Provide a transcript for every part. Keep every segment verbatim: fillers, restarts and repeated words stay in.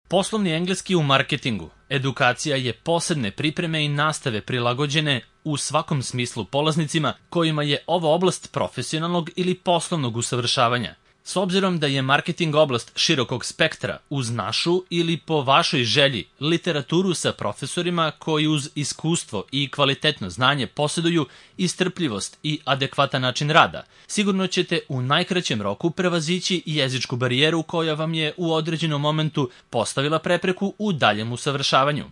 Poslovni engleski u marketingu. Edukacija je posebne pripreme i nastave prilagođene u svakom smislu polaznicima kojima je ova oblast profesionalnog ili poslovnog usavršavanja. S obzirom da je marketing oblast širokog spektra, uz našu ili po vašoj želji literaturu sa profesorima koji uz iskustvo i kvalitetno znanje posjeduju istrpljivost i adekvatan način rada, sigurno ćete u najkraćem roku prevazići jezičku barijeru koja vam je u određenom momentu postavila prepreku u daljem usavršavanju.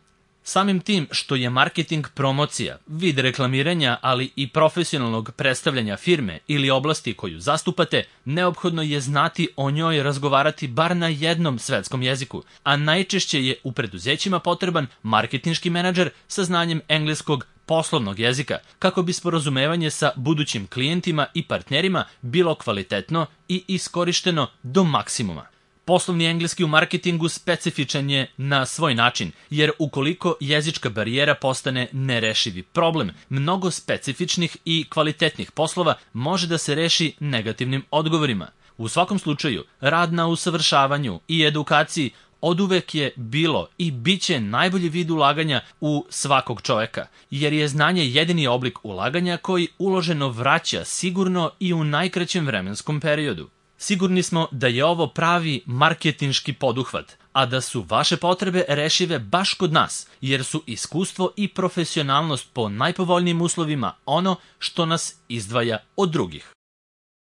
Samim tim što je marketing promocija, vid reklamiranja, ali i profesionalnog predstavljanja firme ili oblasti koju zastupate, neophodno je znati o njoj razgovarati bar na jednom svetskom jeziku, a najčešće je u preduzećima potreban marketinški menadžer sa znanjem engleskog poslovnog jezika, kako bi sporazumevanje sa budućim klijentima i partnerima bilo kvalitetno i iskorišteno do maksimuma. Poslovni engleski u marketingu specifičan je na svoj način, jer ukoliko jezička barijera postane nerešivi problem, mnogo specifičnih i kvalitetnih poslova može da se reši negativnim odgovorima. U svakom slučaju, rad na usavršavanju i edukaciji oduvek je bilo i bit će najbolji vid ulaganja u svakog čoveka, jer je znanje jedini oblik ulaganja koji uloženo vraća sigurno i u najkraćem vremenskom periodu. Sigurni smo da je ovo pravi marketinški poduhvat, a da su vaše potrebe rešive baš kod nas, jer su iskustvo i profesionalnost po najpovoljnijim uslovima ono što nas izdvaja od drugih.